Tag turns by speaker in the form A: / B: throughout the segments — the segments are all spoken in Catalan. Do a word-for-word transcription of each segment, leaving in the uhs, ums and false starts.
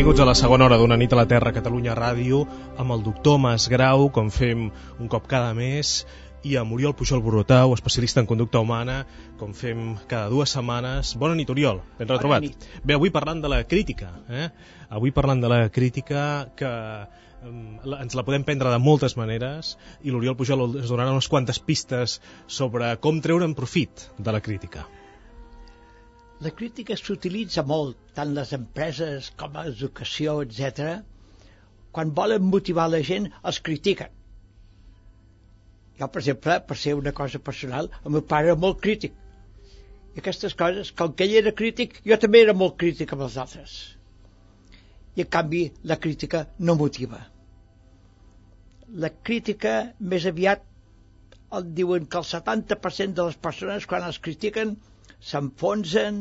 A: Benvinguts a la segona hora d'Una nit a la Terra, Catalunya Ràdio, amb el doctor Mas Grau, com fem un cop cada mes, i amb Oriol Pujol Borrotau, especialista en conducta humana, com fem cada dues setmanes. Bona nit, Oriol, ben retrobat. Bé, avui parlant de la crítica, eh? Avui parlant de la crítica que eh, ens la podem prendre de moltes maneres, i l'Oriol Pujol ens donarà unes quantes pistes sobre com treure'n profit de la crítica.
B: La crítica s'utilitza molt, tant les empreses com l'educació, etcètera. Quan volen motivar la gent, els critiquen. Jo, per exemple, per ser una cosa personal, el meu pare era molt crític. I aquestes coses, com que ell era crític, jo també era molt crític amb els altres. I, en canvi, la crítica no motiva. La crítica, més aviat, el diuen que el setanta per cent de les persones, quan els critiquen, s'enfonsen,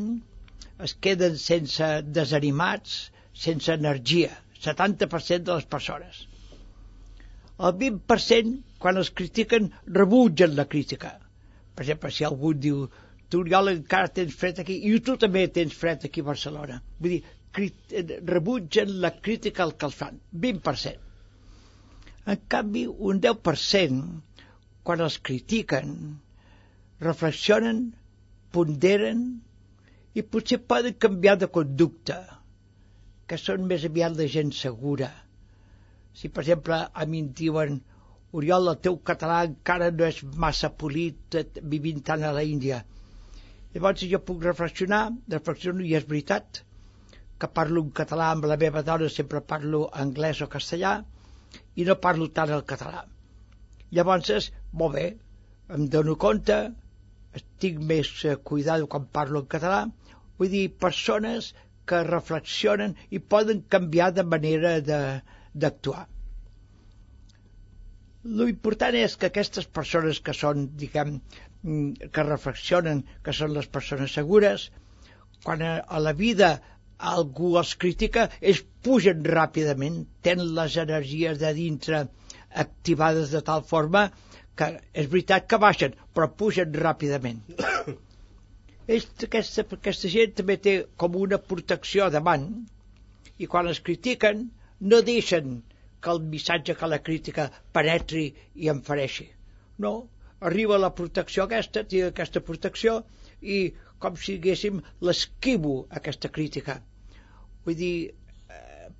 B: es queden sense desanimats, sense energia, setanta per cent de les persones. El vint per cent, quan els critiquen, rebutgen la crítica. Per exemple, si algú diu, tu, Oriol, encara tens fred aquí, i tu també tens fred aquí a Barcelona. Vull dir, rebutgen la crítica al que els fan, vint per cent. En canvi, un deu per cent, quan els critiquen, reflexionen, ponderen i potser poden canviar de conducta, que són més aviat la gent segura. Si, per exemple, a mi em diuen, Oriol, el teu català encara no és massa polit, vivint tant a la Índia. Llavors jo puc reflexionar, reflexiono, i és veritat que parlo en català amb la meva dona, sempre parlo anglès o castellà, i no parlo tant el català. Llavors, molt bé, em dono compte, estic més cuidado quan parlo en català, vull dir, persones que reflexionen i poden canviar de manera d'actuar. L'important és que aquestes persones que són, diguem, que reflexionen, que són les persones segures, quan a la vida algú els critica, ells pugen ràpidament, tenen les energies de dintre activades de tal forma que és veritat que baixen, però pugen ràpidament. Ells, aquesta, aquesta gent també té com una protecció davant, i quan els critiquen no deixen que el missatge, que la crítica penetri i em fereixi. No, arriba la protecció aquesta, tinc aquesta protecció, i com si diguéssim l'esquivo aquesta crítica. Vull dir,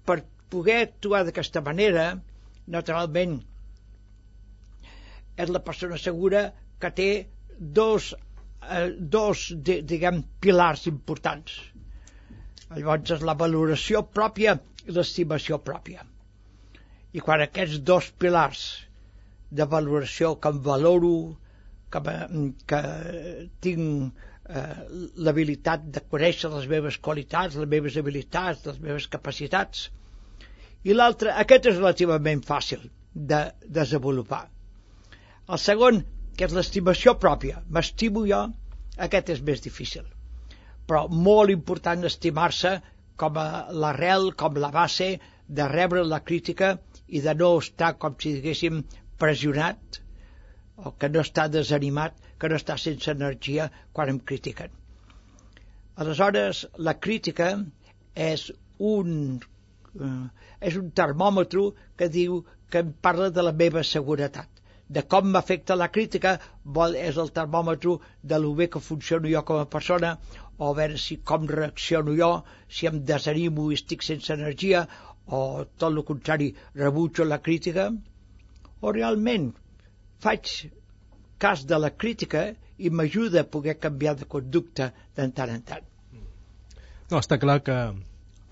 B: per poder actuar d'aquesta manera, naturalment, és la persona segura que té dos, eh, dos diguem, pilars importants. Llavors és la valoració pròpia i l'estimació pròpia. I quan aquests dos pilars de valoració que em valoro, que, que tinc eh, l'habilitat de conèixer les meves qualitats, les meves habilitats, les meves capacitats, i l'altre, aquest és relativament fàcil de desenvolupar. El segon, que és l'estimació pròpia, m'estimo jo, aquest és més difícil. Però molt important estimar-se com a l'arrel, com la base de rebre la crítica i de no estar, com si diguéssim, pressionat, o que no està desanimat, que no està sense energia quan em critiquen. Aleshores, la crítica és un, eh, és un termòmetre que diu que em parla de la meva seguretat. De com m'afecta la crítica és el termòmetre de lo bé que funciono jo com a persona, o a veure si com reacciono jo, si em desanimo i estic sense energia, o tot el contrari, rebutjo la crítica, o realment faig cas de la crítica i m'ajuda a poder canviar de conducta de tant en tant.
A: No, està clar que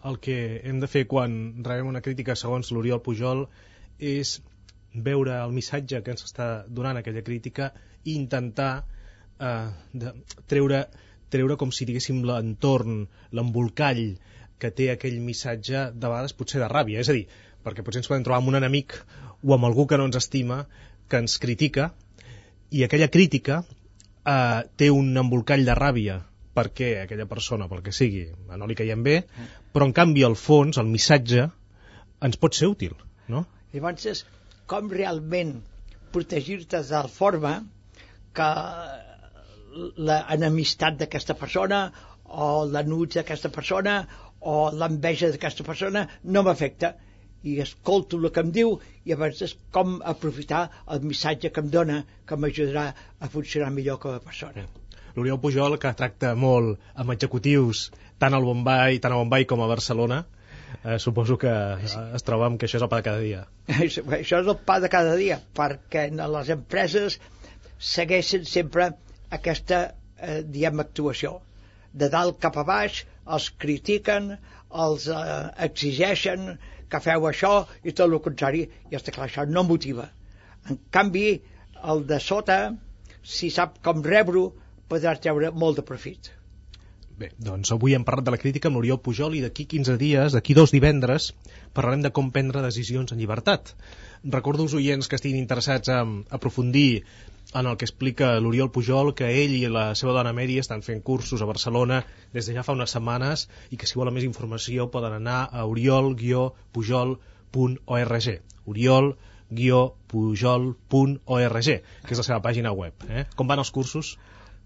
A: el que hem de fer quan rebem una crítica, segons l'Oriol Pujol, és veure el missatge que ens està donant aquella crítica i intentar eh, de, treure, treure com si diguéssim l'entorn, l'embolcall que té aquell missatge, de vegades potser de ràbia, és a dir, perquè potser ens podem trobar amb un enemic o amb algú que no ens estima, que ens critica, i aquella crítica eh, té un embolcall de ràbia perquè aquella persona, pel que sigui, no li caiem bé, però en canvi el fons, el missatge, ens pot ser útil, no?
B: Llavors, com realment protegir-te de forma que l'enemistat d'aquesta persona o l'enuig d'aquesta persona o l'enveja d'aquesta persona no m'afecta, i escolto el que em diu i a vegades com aprofitar el missatge que em dona, que m'ajudarà a funcionar millor com a persona.
A: L'Oriol Pujol, que tracta molt amb executius tant al Bombay, tant a Bombay com a Barcelona, eh, suposo que es troba amb que això és el pa de cada dia.
B: Això és el pa de cada dia, perquè les empreses segueixen sempre aquesta eh, diguem, actuació. De dalt cap a baix, els critiquen, els eh, exigeixen que feu això i tot el contrari, i està clar, això no motiva. En canvi, el de sota, si sap com rebre-ho, podrà treure molt de profit.
A: Bé, doncs avui hem parlat de la crítica amb l'Oriol Pujol i d'aquí quinze dies, d'aquí dos divendres, parlarem de com prendre decisions en llibertat. Recordo als oients que estiguin interessats en aprofundir en el que explica l'Oriol Pujol, que ell i la seva dona Mary estan fent cursos a Barcelona des de ja fa unes setmanes i que si volen més informació poden anar a oriol pujol punt org oriol pujol punt org, que és la seva pàgina web. Eh? Com van els cursos?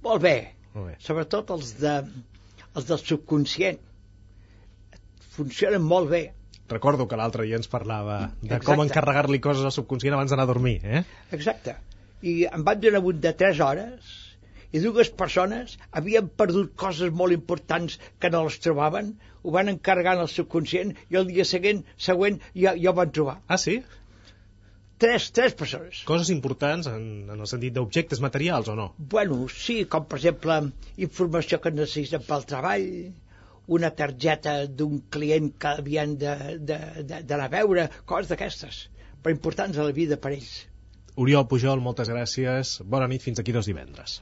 B: Molt bé,
A: Molt bé.
B: Sobretot els, de, els del subconscient. Funcionen molt bé.
A: Recordo que l'altre dia ens parlava de
B: Exacte.
A: com encarregar-li coses al subconscient abans d'anar a dormir. Eh?
B: Exacte. I em van donar un de tres hores i dues persones havien perdut coses molt importants que no les trobaven, ho van encarregar al subconscient i el dia següent, següent ja, ja ho van trobar.
A: Ah, sí?
B: Tres, tres persones.
A: Coses importants en, en el sentit d'objectes materials o no?
B: Bueno, sí, com per exemple informació que necessiten pel treball, una targeta d'un client que havien d'anar a veure, coses d'aquestes, però importants a la vida per ells.
A: Oriol Pujol, moltes gràcies. Bona nit, fins aquí dos divendres.